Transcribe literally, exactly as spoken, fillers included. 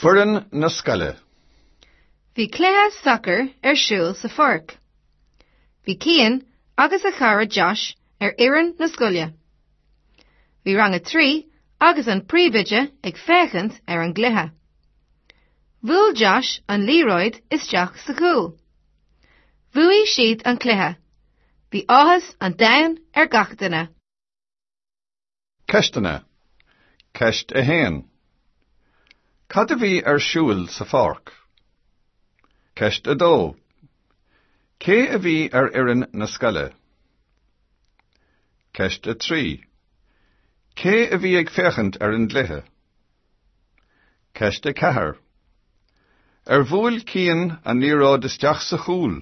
Foireann na scoile. Bhí cluiche sacair ar siúl sa pháirc. Bhí Cian agus a chara Josh ar fhoireann na scoile. Bhí rang a trí agus an príomhoide ag féachaint ar an gcluiche. Bhuail Josh an liathróid isteach sa chúl. Bhuaigh siad an cluiche. Bhí áthas an domhain ar gach duine. Ceisteanna. Ceist a haon. Cad a bhí ar siúl sa pháirc? Ceist a dó. Cé a bhí ar fhoireann na scoile? Ceist a trí. Cé a bhí ag féachaint ar an gcluiche? Ceist a ceathair. Ar bhuail Cian an liathróid isteach sa chúl?